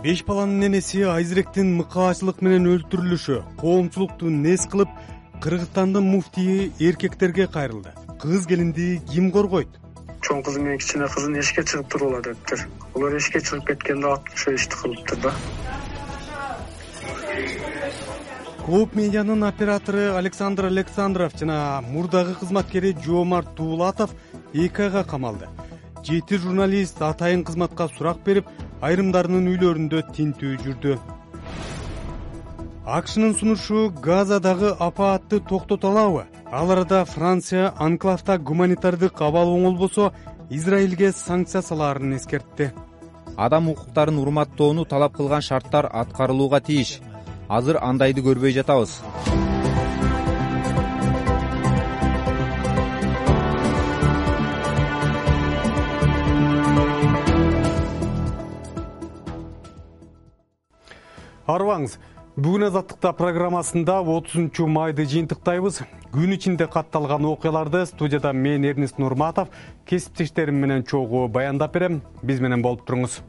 Беш баланын энеси Айзиректин мыкаачылык менен өлтүрүлүшү коомчулукту нес кылып, Кыргызстандын муфтийи эркектерге кайрылды. Кыз келинди ким коргойт? Чоң кызы менен кичине кызын эшикке чыгып турула дептир. Алар эшикке чыгып кеткенде ошо ишти кылыптыр да. Клоп медианын оператору Александр Александров жана мурдагы кызматкери Жоомарт Дуулатов 2 айга камалды. 7 журналист атайын кызматка сурак берип, айрымдарынын үйлөрүндө тинтүү жүрдү. АКШнын сунушу Газадагы апаатты токтото алабы? Ал арада Франция анклавда гуманитардык абал оңолбосо, Израилге санкция салаарын эскертти. Адам укуктарын урматтоону талап кылган шарттар аткарылууга тийиш. Азыр андайды көрбөй жатабыз. Арыбаңыз, бүгүн Азаттыкта программасында 30 майды жыйынтыктайбыз. Күн ичинде катталган окуяларды студияда мен Эрнест Нурматов кесиптештерим менен чогуу баяндап берем. Биз менен болуп туруңуз.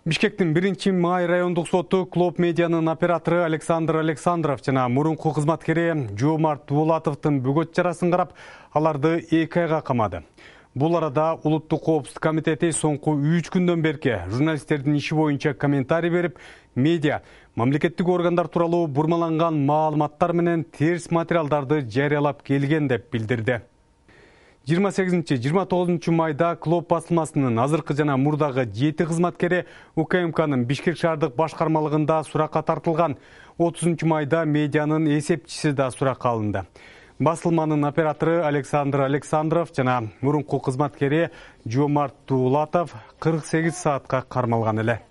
Бишкектин 1-май райондук соту Клоп медианын оператору Александр Александров жана мурунку кызматкери Жоомарт Дуулатовдун бөгөт жарасын карап, аларды 2 айга камады. Бул арада Улуттук коопсуздук комитети соңку 3 күндөн берки журналисттердин иши боюнча комментарий берип, медиа мамлекеттик органдар тууралуу бурмаланган маалыматтар менен терс материалдарды жарыялап келген деп билдирди. 28-29 майда Клоп басылмасынын азыркы жана мурдагы 7 кызматкери УКМКнын Бишкек шаардык башкармалыгында суракка тартылган. 30 майда медианын эсепчиси да суракка алынды. Басылманын оператору Александр Александров жана мурунку кызматкери Жоомарт Дуулатов 48 саатка кармалган эле.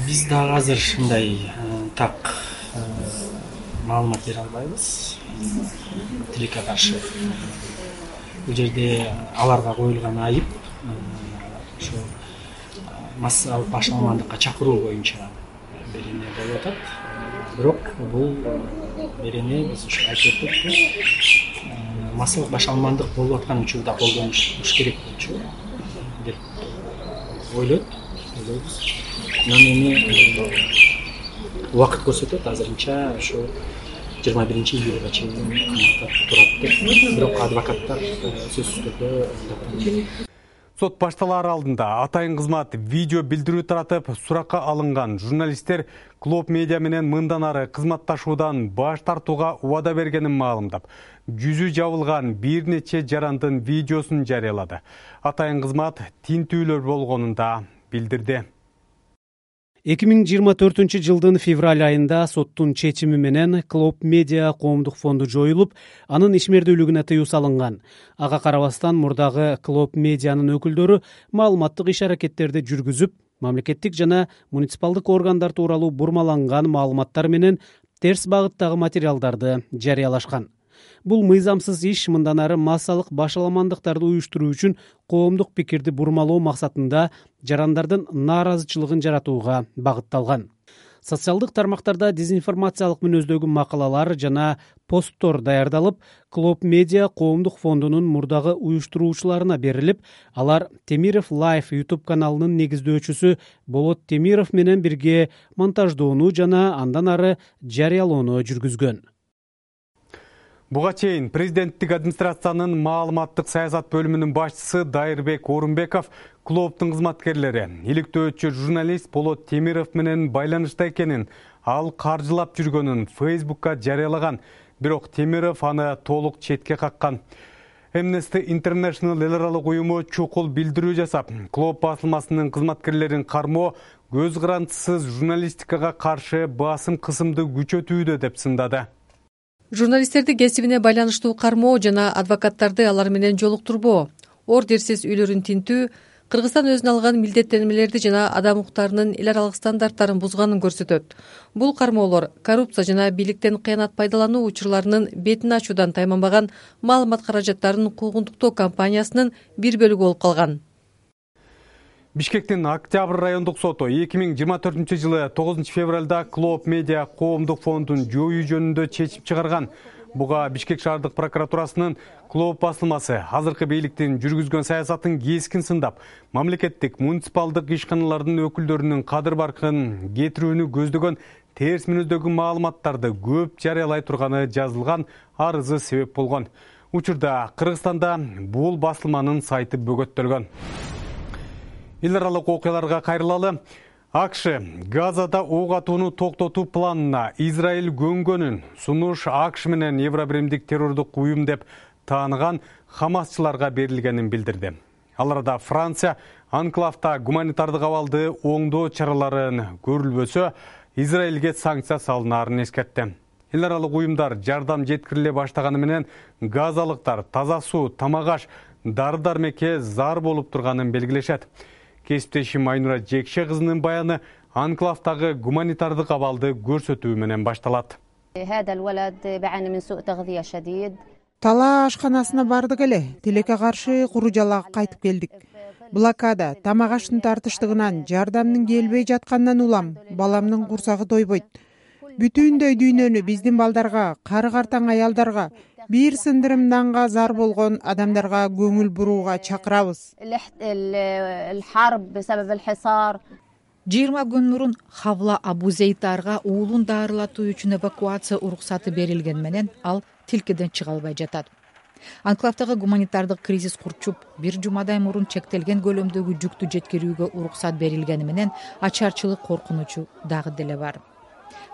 Биз дагы азыр ушундай так маалымат бере албайбыз. Тилекке каршы. Бул жерде аларга коюлган айып ошо массалык башаламандыкка чакыруу боюнча берене болуп атат. Бирок бул берене биз ушу айтып өттүк. Массалык башаламандык болуп аткан учурда колдонуш керек болчу деп ойлойбуз. Эми убакыт көрсөтөт, азырынча ошо 21-июлга чейин камакта турат деп. Бирок адвокаттар сөзсүз түрдө Сот башталар алдында атайын кызмат видео билдирүү таратып, суракка алынган журналисттер Клоп медиа менен мындан ары кызматташуудан баш тартууга убада бергенин маалымдап, жүзү жабылган бир нече жарандын видеосун жарыялады. Атайын кызмат тинтүүлөр болгонун да билдирди. 2024-жылдын февраль айында соттун чечими менен Клоп медиа коомдук фонду жоюлуп, анын ишмердүүлүгүнө тыюу салынган. Ага карабастан мурдагы Клоп медианын өкүлдөрү маалыматтык иш-аракеттерди жүргүзүп, мамлекеттик жана муниципалдык органдар тууралуу бурмаланган маалыматтар менен терс багыттагы материалдарды жарыялашкан. Бул мыйзамсыз иш мындан ары массалык башаламандыктарды уюштуруу үчүн коомдук пикирди бурмалоо максатында жарандардын нааразычылыгын жаратууга багытталган. Социалдык тармактарда дезинформациялык мүнөздөгү макалалар жана посттор даярдалып, Клоп медиа коомдук фондунун мурдагы уюштуруучуларына берилип, алар Темиров Life YouTube каналынын негиздөөчүсү Болот Темиров менен бирге монтаждоону жана андан ары жарыялоону жүргүзгөн. Буга чейин президенттик администрациянын маалыматтык саясат бөлүмүнүн башчысы Дайырбек Орунбеков Клоптун кызматкерлери иликтөөчү журналист Болот Темиров менен байланышта экенин, ал каржылап жүргөнүн Facebook'ка жарыялаган, бирок Темиров аны толук четке каккан. Amnesty International эл аралык уюму чукул билдирүү жасап, Клоп басылмасынын кызматкерлерин кармоо көз карандысыз журналистикага каршы басым кысымды күчөтүүдө деп сындады. Журналисттерди кесибине байланыштуу кармоо жана адвокаттарды алар менен жолуктурбоо, ордерсиз үйлөрүн тинтүү Кыргызстан өзүнө алган милдеттенмелерди жана адам укуктарынын эл аралык стандарттарын бузганын көрсөтөт. Бул кармоолор коррупция жана бийликтен кыянат пайдалануу учурларынын бетин ачуудан тайманбаган маалымат каражаттарын куугунтуктоо кампаниясынын бир бөлүгү болуп калган. Бишкектин Октябрь райондук соту 2024 жылы 9 февралда Клоп медиа коомдук фондун жоюу жөнүндө чечим чыгарган. Буга Бишкек шаардык прокуратурасынын Клооп басылмасы азыркы бийликтин жүргүзгөн саясатын кескин сындап, мамлекеттик муниципалдык ишканалардын өкүлдөрүнүн кадыр баркын кетирүүнү көздөгөн терс мүнөздөгү маалыматтарды көп жарыялай турганы жазылган арызы себеп болгон. Учурда Кыргызстанда бул басылманын сайты бөгөттөлгөн. Эл аралык окуяларга кайрылалы. АКШ Газада ок атууну токтотуу планына Израиль көнгөнүн сунуш АКШ менен Евробиримдик террордук уюм деп тааныган хамасчыларга берилгенин билдирди. Ал арада Франция анклавда гуманитардык абалды оңдоо чараларын көрүлбөсө, Израилге санкция салынаарын эскертти. Эл аралык уюмдар жардам жеткириле баштаганы менен газалыктар таза суу, тамак аш, дары-дармекке зар болуп турганын белгилешет. Кесиптешим Айнура Жекше кызынын баяны анклавдагы гуманитардык абалды көрсөтүү менен башталат. Тала ашканасына бардык эле. Тилекке каршы куру жалаак кайтып келдик. Блокада, тамак аштын тартыштыгынан, жардамдын келбей жатканынан улам. Баламдын курсагы тойбойт. Бүтүндөй дүйнөнү биздин балдарга, кары картаң аялдарга, бир сындырым нанга зар болгон адамдарга көңүл бурууга чакырабыз. 20 күн мурун Хавла Абузейтарга уулун дарылатуу үчүн эвакуация уруксаты берилген менен ал тилкеден чыга албай жатат. Анклавдагы гуманитардык кризис курчуп, бир жумадай мурун чектелген көлөмдөгү жүктү жеткирүүгө уруксат берилгени менен ачарчылык коркунучу дагы деле бар.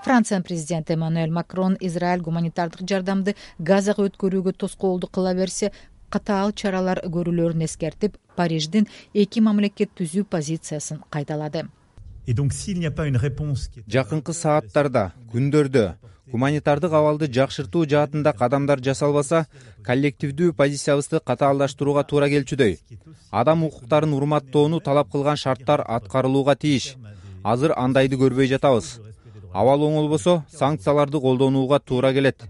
Франциянын президенти Эммануэль Макрон Израиль гуманитардык жардамды Газага өткөрүүгө тоскоолдук кыла берсе, катаал чаралар көрүлөрүн эскертип, Париждин эки мамлекет түзүү позициясын кайталады. Жакынкы сааттарда, күндөрдө гуманитардык абалды жакшыртуу жаатында кадамдар жасалбаса, коллективдүү позициябызды катаалдаштырууга туура келчүдөй. Адам укуктарын урматтоону талап кылган шарттар аткарылууга тийиш. Азыр андайды көрбөй жатабыз. Абал оңолбосо, санкцияларды колдонууга туура келет.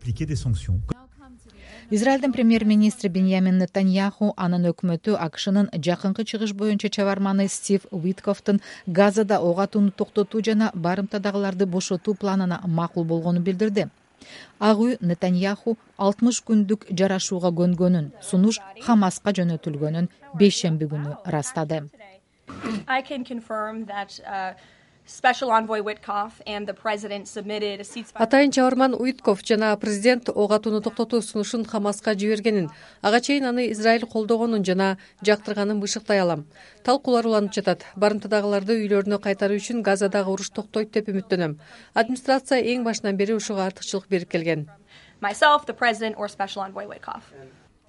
Израилдин премьер-министри Беньямин Нетаньяху анын өкмөтү АКШнын жакынкы чыгыш боюнча чабарманы Стив Уиткофтун Газада ок атууну токтотуу жана барымтадагыларды бошотуу планына макул болгонун билдирди. Ак үй Нетаньяху 60 күндүк жарашууга көнгөнүн, сунуш Хамаска жөнөтүлгөнүн бейшемби күнү ырастады. Атайын чабарман Уитков жана президент ок атууну токтотуу сунушун Хамаска жибергенин, ага чейин аны Израиль колдогонун жана жактырганын бышыктай алам. Талкуулар уланып жатат. Барымтадагыларды үйлөрүнө кайтаруу үчүн Газадагы уруш токтойт деп үмүттөнөм. Администрация эң башынан бери ушуга артыкчылык берип келген.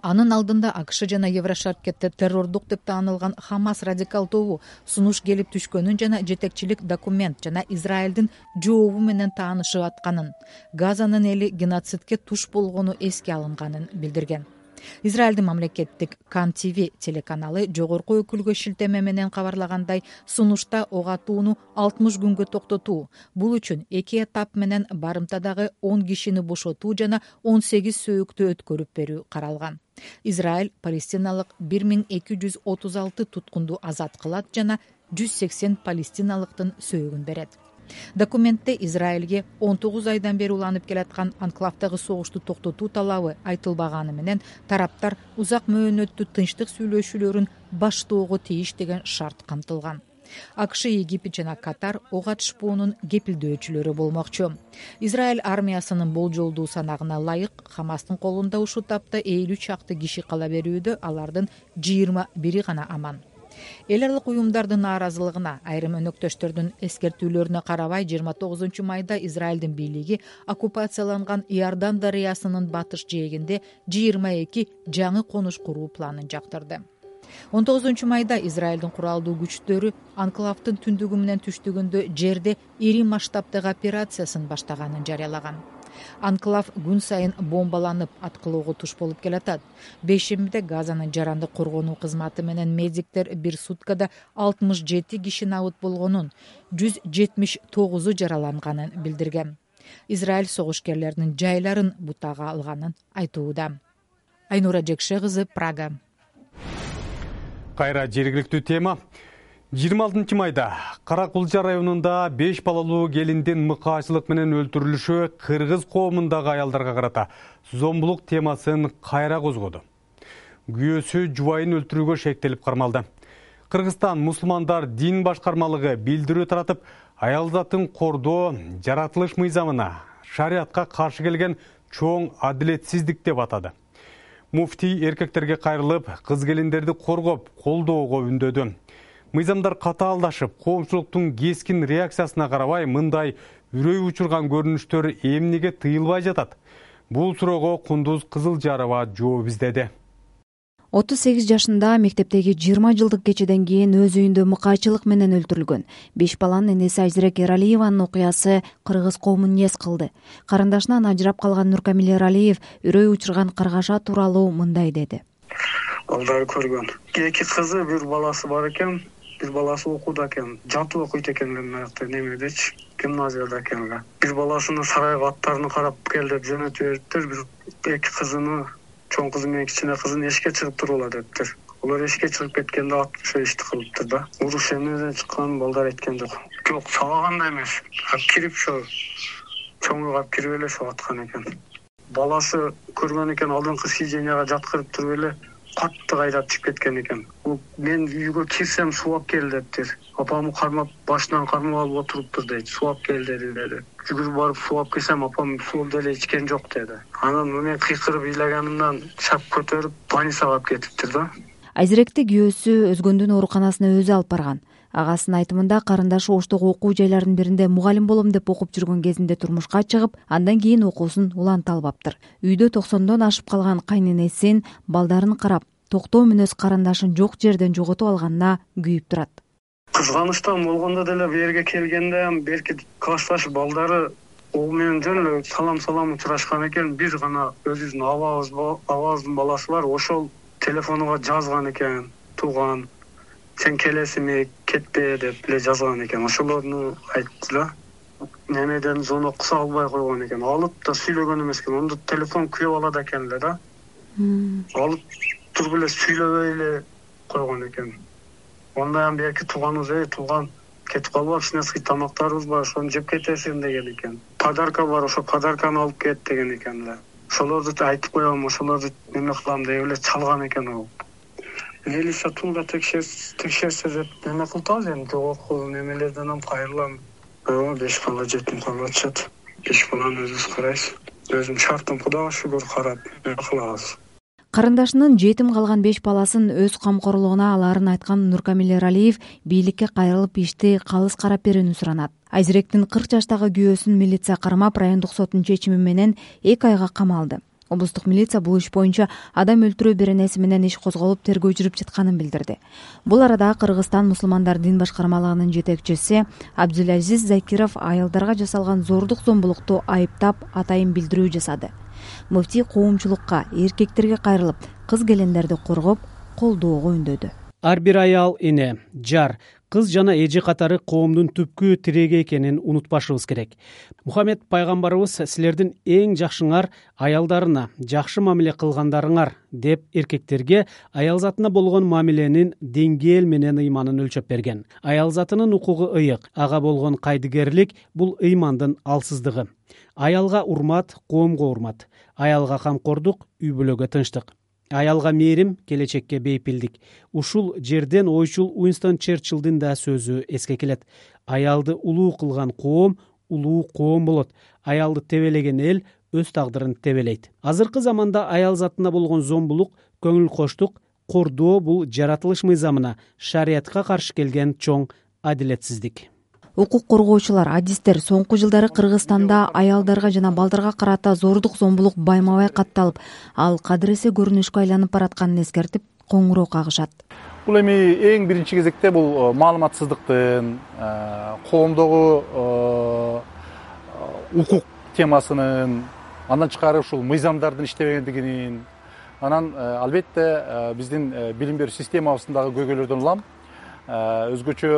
Анын алдында АКШ жана Еврошаркетте террордук деп таанылган Хамас радикал тобу сунуш келип түшкөнүн жана жетекчилик документ жана Израилдин жообу менен таанышып атканын, Газанын эли геноцидке туш болгону эске алынганын билдирген. Израилдин мамлекеттик Кан ТВ телеканалы жогорку өкүлгө шилтеме менен кабарлагандай, сунушта ок атууну 60 күнгө токтотуу, бул үчүн эки этап менен барымтадагы 10 кишини бошотуу жана 18 сөөктү өткөрүп берүү каралган. Израиль палестиналык 1236 туткунду азат кылат жана 180 палестиналыктын сөөгүн берет. Документте Израилге 19 айдан бери уланып келаткан анклавдагы согушту токтотуу талабы айтылбаганы менен тараптар узак мөөнөттүү тынчтык сүйлөшүүлөрүн баштоого тийиш деген шарт камтылган. АКШ, Египет жана Катар ок атышпоонун кепилдөөчүлөрү болмокчу. Израиль армиясынын болжолдуу санагына ылайык Хамастын колунда ушул тапта 50 чакты киши кала берүүдө, алардын 21 гана аман. Эл аралык уюмдардын нааразылыгына, айрым өнөктөштөрдүн эскертүүлөрүнө карабай 29 майда Израилдин бийлиги оккупацияланган Иордан дарыясынын батыш жээгинде 22 жаңы конуш куруу планын жактырды. 19 майда Израилдин куралдуу күчтөрү анклавдын түндүгү менен түштүгүндө жерде ири масштабтагы операциясын баштаганын жарыялаган. Анклав күн сайын бомбаланып аткылоого туш болуп келатат. Бейшембиде Газанын жарандык коргонуу кызматы менен медиктер бир суткада 67 киши набыт болгонун, 179 жараланганын билдирген. Израиль согушкерлеринин жайларын бутага алганын айтууда. Айнура Жекше кызы, Прага. Кайра жергиликтүү тема. 26 майда Кара Кулча районунда 5 балалуу келиндин мыкаачылык менен өлтүрүлүшү кыргыз коомундагы аялдарга карата зомбулук темасын кайра козгоду. Күйөөсү жубайын өлтүрүүгө шектелип кармалды. Кыргызстан мусулмандар дин башкармалыгы билдирүү таратып, аял затын кордоо жаратылыш мыйзамына, шариатка каршы келген чоң адилетсиздик деп атады. Муфтий эркектерге кайрылып, кыз келиндерди коргоп, колдоого үндөдү. Мыйзамдар катаалдашып, коомчулуктун кескин реакциясына карабай, мындай үрөй учурган көрүнүштөр эмнеге тыйылбай жатат? Бул суроого Кундуз Кызылжарова жооп издеди. 38 жашында мектептеги 20 жылдык кечеден кийин өз үйүндө мыкаачылык менен өлтүрүлгөн 5 баланын энеси Айзирек Эралиеванын окуясы кыргыз коомун нез кылды. Карындашынан ажырап калган Нуркамил Эралиев үрөй учурган Каргаша тууралуу мындай деди. Балдары көргөн. 2 кызы, 1 баласы бар экен. 1 баласы окууда экен. Жатып окуйт экен немедечи, гимназияда экен. 1 баласынын сарайга аттарын карап кел деп жөнөтүп бериптир. 2 кызыны, чоң кызы менен кичине кызын эшикке чыгып турула дептир. Олар эшикке чыгып кеткенде ошо ишти кылыптыр да. Уруш эмнеден чыкканын балдар айткан жок. Жок, сабаганда эмес. Кирип ошо чоңуга кирип эле ошо аткан экен. Баласы көргөн экен, алдыңкы сиденияга жаткырып туруп эле катты кайдап чыгып кеткен экен. Мен үйгө кирсем сууап кел дептир. Апамы кармап, башынан кармап алып отуруптур дейт. Сууап кел деди. Жүгүрүп барып сууап келсем, апам суу деле ичкен жок деди. Анан мен кыйкырып ыйлаганымдан чап көтөрүп больницага алып кетиптир да. Айзиректи күйөөсү өзгөндүн ооруканасына өзү алып барган. Агасынын айтымында карындашы Оштогу окуу жайларынын биринде мугалим болом деп окуп жүргөн кезинде турмушка чыгып, андан кийин окуусун уланта албаптыр. Үйдө 90дон ашып калган кайненесин балдарын карап, токтоо мүнөз карындашын жок жерден жоготуп алганына күйүп турат. Кызганычтан болгондо деле берге келгенде берки классташ балдары ол менен жөн эле салам учурашкан экен. Бир гана өзүбүздүн абабыздын баласы бар, ошол телефонуга жазган экен, тууган, сен келесиңби, кетпе деп эле жазган экен. Ошолорду айтты да. Немеден зонокса албай койгон экен. Алып да сүйлөгөн эмес экен. Онда телефон күйөп алат экен эле да. Алып туруп эле сүйлөбөй эле койгон экен. Ондан берки тууганыбыз, тууган кетип калбак, кичинекей тамактарыбыз бар, ошону жеп кетесиң деген экен. Подарка бар, ошо подарканы алып кет деген экен эле. Ошолорду айтып коем, ошолорду неме кылам деп эле чалган экен ал. Милиция тулда текшерсе деп неме кылтабыз эми, жогорку немелерден кайрылам. 5 бала жетим калып атышат. 5 баланы өзүбүз карайбыз. Өзүм шартым Кудайга шүгүр карап кылабыз. Карындашынын жетим калган 5 баласын өз камкорлугуна аларын айткан Нуркамил Эралиев бийликке кайрылып ишти калыс карап берүүнү суранат. Айзиректин 40 жаштагы күйөөсүн милиция кармап, райондук соттун чечими менен 2 айга камалды. Облустук милиция бул иш боюнча адам өлтүрүү беренеси менен иш козголуп, тергөө жүрүп жатканын билдирди. Бул арада Кыргызстан мусулмандар дин башкармалыгынын жетекчиси Абдулазиз Закиров аялдарга жасалган зордук зомбулукту айыптап, атайын билдирүү жасады. Муфтий коомчулукка, эркектерге кайрылып, кыз келиндерди коргоп, колдоого үндөдү. Ар бир аял, эне, жар, кыз жана эже катары коомдун түпкү тиреги экенин унутпашыбыз керек. Мухаммед пайгамбарыбыз силердин эң жакшыңар аялдарына жакшы мамиле кылгандарыңар деп эркектерге аял затына болгон мамиленин деңгээл менен ыйманын өлчөп берген. Аял затынын укугу ыйык, ага болгон кайдыгерлик бул ыймандын алсыздыгы. Аялга урмат, коомго урмат. Аялга камкордук, үй бүлөгө тынчтык. Аялга мээрим, келечекке бейпилдик. Ушул жерден ойчул Уинстон Черчиллдин да сөзү эске келет. Аялды улуу кылган коом улуу коом болот. Аялды тебелеген эл өз тагдырын тебелейт. Азыркы заманда аял затына болгон зомбулук, көңүл коштук, кордоо бул жаратылыш мыйзамына, шариатка каршы келген чоң адилетсиздик. Укук коргоочулар, адистер соңку жылдары Кыргызстанда аялдарга жана балдарга карата зордук зомбулук байма-бай катталып, ал кадыресе көрүнүшкө айланып баратканын эскертип, коңгуроо кагышат. Бул эми эң биринчи кезекте бул маалыматсыздыктын, коомдогу укук темасынын, андан тышкары ушул мыйзамдардын иштебегендигинин, анан албетте биздин билим берүү системабыздагы көйгөйлөрдөн улам. Өзгөчө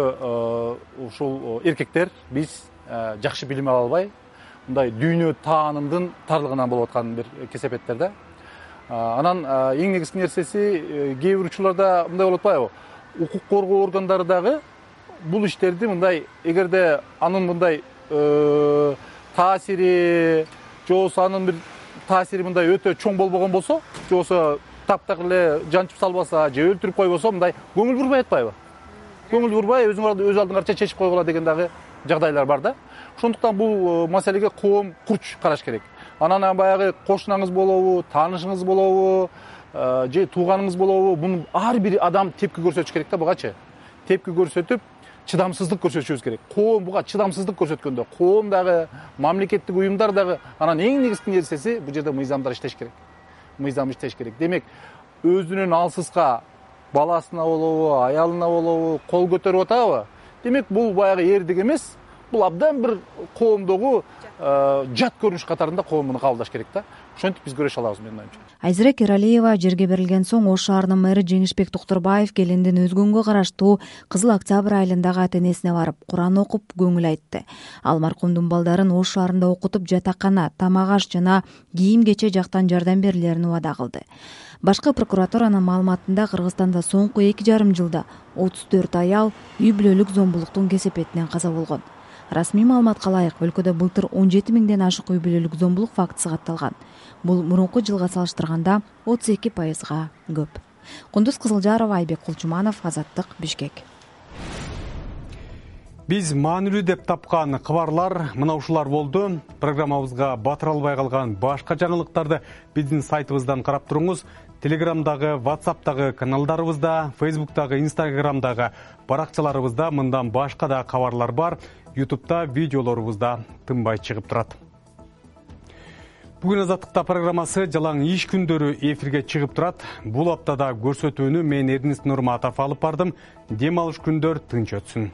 ушул эркектер биз жакшы билим ала албай, мындай дүйнө таанымдын тарлыгынан болуп аткан бир кесепеттер да. Анан эң негизги нерсеси кээ бир учурларда мындай болуп атпайбы? Укук коргоо органдары дагы бул иштерди мындай эгерде анын мындай таасири же болбосо анын бир таасири мындай өтө чоң болбогон болсо, же болбосо таптак эле жанчып салбаса же өлтүрүп койбосо мындай көңүл бурбай атпайбы? Көңүл бурбай өз алдыңарча чечип койгула деген дагы жагдайлар бар да. Ошондуктан бул маселеге коом курч караш керек. Анан баягы кошунаңыз болобу, таанышыңыз болобу, же тууганыңыз болобу, муну ар бир адам тепки көрсөтүш керек да бугачы. Тепки көрсөтүп, чыдамсыздык көрсөтүшүбүз керек. Коом буга чыдамсыздык көрсөткөндө, коом дагы, мамлекеттик уюмдар дагы, анан эң негизги нерсеси бул жерде мыйзамдар иштеш керек. Мыйзам иштеш керек. Демек, өзүнөн алсызга баласына болобу, аялына болобу кол көтөрүп атабы? Демек, бул баягы эрдик эмес, бул абдан бир коомдогу жат көрүнүш катарында коом муну кабылдаш керек да. Ошентип биз көрөшө алабыз, менин оюмча. Айзирек Эралиева жерге берилген соң Ош шаарынын мэрі Жеңишбек Токтурбаев келиндин Өзгөнгө караштуу Кызыл Октябрь айылындагы ата-энесине барып, Куран окуп, көңүл айтты. Ал маркумдун балдарын Ош шаарында окутуп, жатакана, тамак аш жана кийим-кече жактан жардам берилерин убада кылды. Башкы прокуратуранын маалыматында Кыргызстанда соңку 2,5 жылда 34 аял үй бүлөлүк зомбулуктун кесепетинен каза болгон. Расмий маалыматка ылайык, өлкөдө былтыр 17 миңден ашык үй бүлөлүк зомбулук фактысы катталган. Бул мурунку жылга салыштырганда 32%га көп. Кундуз Кызылжарова, Айбек Кулчуманов, Азаттык, Бишкек. Биз маанилүү деп тапкан кабарлар мына ушулар болду. Программабызга батыра албай калган башка жаңылыктарды биздин сайтыбыздан карап туруңуз. Телеграмдагы, WhatsApp'тагы каналдарыбызда, Facebook'тагы, Instagram'дагы баракчаларыбызда мындан башка да кабарлар бар. YouTube'да видеолорубузда тынбай чыгып турат. Бүгүн Азаттыкта программасы жалаң иш күндөрү эфирге чыгып турат. Бул аптада көрсөтүүнү мен Эрдинис Нурматов алып бардым. Дем алыш күндөр тынч өтсүн.